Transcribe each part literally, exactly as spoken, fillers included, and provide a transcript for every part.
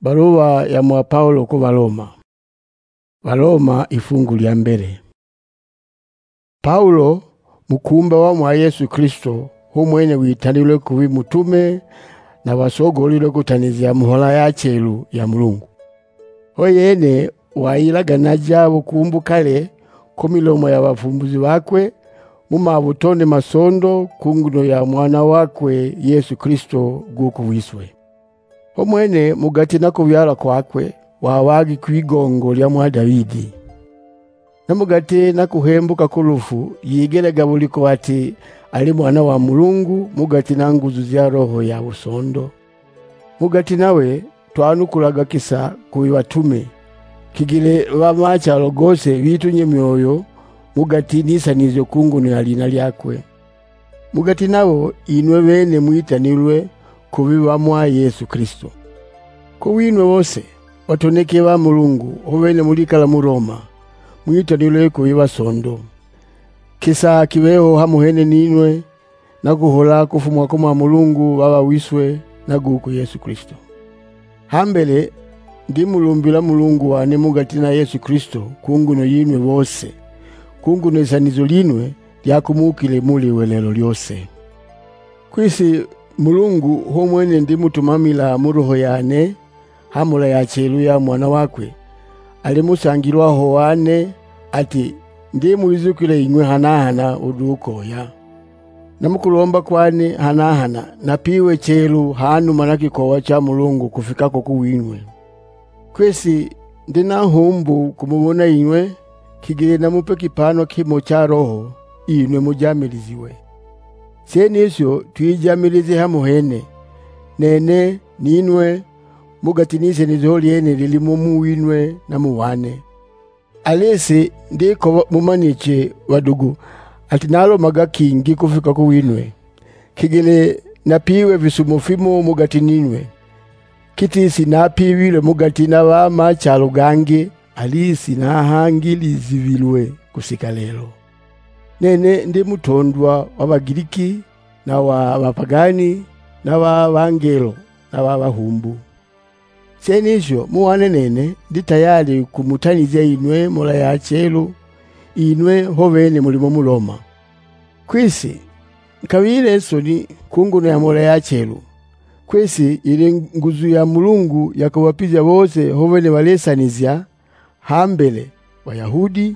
Baluwa ya ng'wa Paulo ku Baloma. Baloma ifungu lya mbele. Paulo, mukumba wa ng'wa Yesu Kilisto, hu ng'wene witanilwe kubi mutume na wasogoolilwe kutanizya mhola ya chelu ya Mulungu. Ho yene wayilaga naja bukumbu kale ku milomo ya bafumbuzi bakwe, mu mabutone masondo ku nguno ya Ng'wana wakwe Yesu Kilisto gūku wise. Hu ng'wene mu gati na kubyalwa kwakwe, wawaagi kw'igongo lya ng'wa Dabidi. Na mu gati na kuhembuka ku lufu, yigelaga buliko ati ali Ng'wana wa Mulungu, mu gati na nguzu ja Roho ya busondo. Mu gati nawe twanukulaga kisa kubi batume, kigile ba machalo gose bitunye myoyo mu gati n'isanizyo ku nguno ya lina lyakwe. Mu gati nabo inwe bene mwitanilwe kubi ba ng'wa Yesu Kilisto. Ku winwe bose, batoneke ba Mulungu, hu bene mulikala mu Loma, mwitanilwe kubi basondo. Kisa kibe ho hamo hene ninwe, na kuhola kufuma ku ng'wa Mulungu Baba wise na gūku Yesu Kilisto. Ha mbele, ndimulumbila Mulungu wane mu gati na Yesu Kilisto ku nguno yinwe bose, ku nguno isanizo linwe lya kumuukile muli welelo lyose. Kwisi Mulungu hu ng'wene ndimutumamila mu roho yane, ha mhola ya chelu ya Ng'wana wakwe, ali mu sangilwa ho wane, ati, ndimwizukila ing'we hana-hana ulu ukoya. Na mu kulomba kwane hana-hana, napiiwe chelu ha numa na kikowa cha Mulungu kufika ko ku wing'we. Kwisi ndi na nghumbu kumubona ing'we, kigele namupe kipaanwa kimo cha roho, inwe mujamiliziwe. Shenisho twijamilize hamo hene, nene, ninwe, mu gati n'isenizo lyene lilimo mu winwe na mu wane. Alisi ndikoba mumaniche, badugu, ati nalomaga kingi kufika ku winwe, kigele napiiwe fisumo fimo mu gati ninwe. Kitisi napiibilwe mu gati na ba machalo gangi, alisi nahangilizibilwe kusika lelo. Nene ndi mutondwa wa Bagiliki na wa bapagani, na wa bangelo na wa bahumbu. Shenisho mu wane nene ndi tayali kumutanizya inwe mhola ya chelu, inwe ho bene muli mo mu Loma. Kwisi nkabile nsoni ku nguno ya mhola ya chelu, kwisi ili nguzu ya Mulungu ya kubapija bose ho bene balisanizya, ha mbele Bayahudi,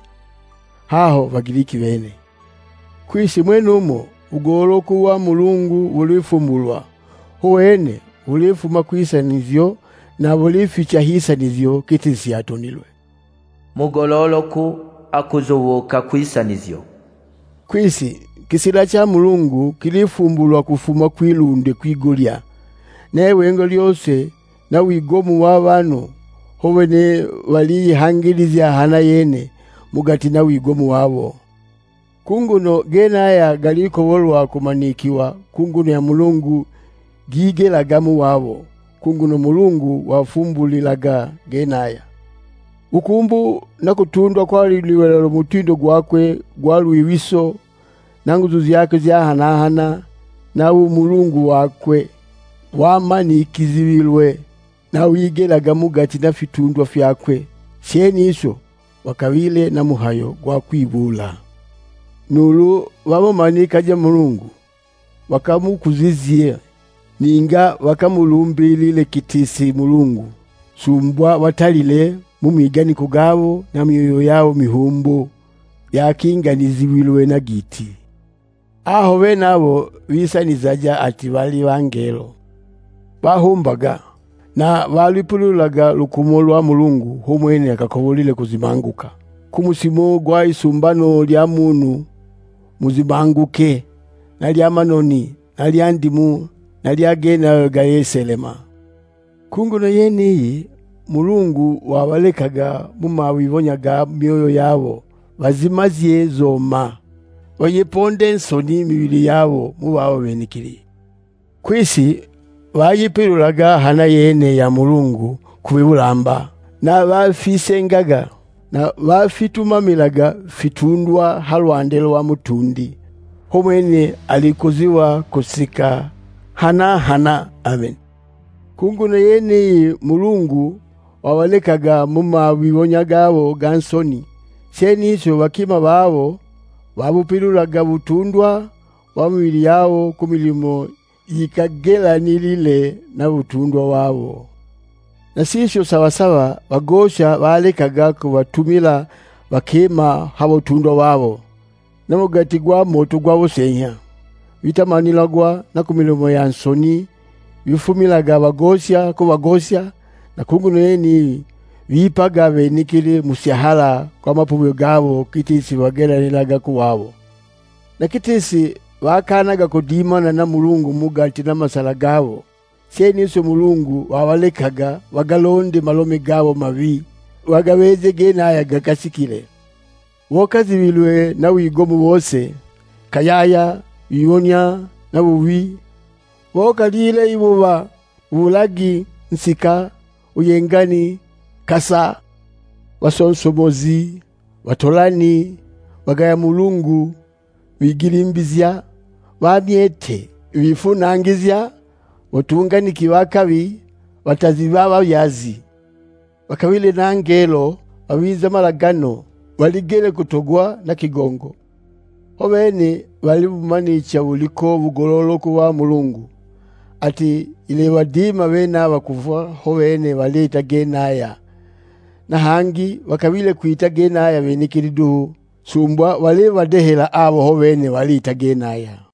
haho Bagiliki bene. Kwisi ng'wenumo u golooku wa Mulungu bulifumbulwa, hu wene bulifuma kwisanizyo, na bulificha h'isanizyo giti si atonilwe. Mu gololoku akuzubuuka kwisanizyo. Kwisi kisila cha Mulungu kilifumbulwa kufuma kwilunde kwigulya, na iwengo lyose na wigomu wa banhu, hu bene baliyihangilizya hana yene mu gati na wigomu wabo. Ku nguno genaya galikobolwa kumanikiwa ku nguno ya Mulungu gigelaga mu wabo, ku nguno Mulungu wafumbulilaga genaya. Bukumbu na kutundwa kwa liwelelo mutindo gwakwe gwa lwibiso, na nguzu jakwe ja hana-hana, na bumulungu wakwe, wamanikizibilwe na wigelaga mu gati na fitundwa fyakwe, shenisho wakabile na mhayo gwa kwibuula. Nuulu bamumanikaje Mulungu, bakamukuzizye, ninga bakamulumbilile giti si Mulungu, sumbwa batalile mu miganiko gabo na myoyo yabo mihumbu, yakinganizibilwe na giiti. Aho benabo bisanizaja ati bali bangelo, bahumbaga, na balwipululaga lukumo lwa Mulungu, hu ng'wene akakobolile kuzimanguka. Ku musimu gwa isumbano lya munhu muzimanguke, na lya manoni, na lya ndimu, na lya genayo gayeselema. Ku nguno yeniyi, Mulungu wabalekaga mu mawibonya ga myoyo yabo, bazimazye zoma, bayiponde nsoni i mibili yabo mu babo benekili. Kwisi bayipilulaga hana yene ya Mulungu kubi bulamba, na bafisengaga, na bafitumamilaga fitundwa ha lwande lwa mutundi, hu ng'wene alikuziwa kusika hana-hana. Ameni. Ku nguno yeniyi Mulungu wabalekaga mu mawibonya gabo ga nsoni, shenishi bakima babo babupilulaga butundwa wa mibili yabo ku milimo yikagelanilile na butundwa wabo. Na shisho saba-saba bagosha balekaga kubatumila bakima ha butundwa wabo, na mu gati gwa moto gwa buseenya, bitamanilagwa na ku milimo ya nsoni bifumilaga bagosha kubagosha, na ku nguno yeniyi bipaga benekili mu syahala kwa mapubyo gabo giti si bagelanilaga ku wabo. Na giti si bakaanaga kudimana na Mulungu mu gati na masala gabo, shenishi u Mulungu wabalekaga bagalonde malomi gabo mabi, bagabeeje genaya gakashikile. Bokazibilwe na wigomu bose, kayaya, wibonya, na bubi, bokalile ibuba, bulagi, nsika, buyengani, kasa, basonsomozi, batolani, bagaya Mulungu, bigilimbizya, bamyete, bifunangizya, batunganiki ba kabi, batazi ba babyazi, bakabile na ngelo, babiza malagano, baligile kutogwa na kigongo. Ho bene balibumanicha buliko bugololo ku ba Mulungu, ati ilibadima benaba kufwa ho bene baliita genaya, na hangi bakabile kwita genaya benekili duhu, sumbwa balibadehela abo ho bene baliita genaya.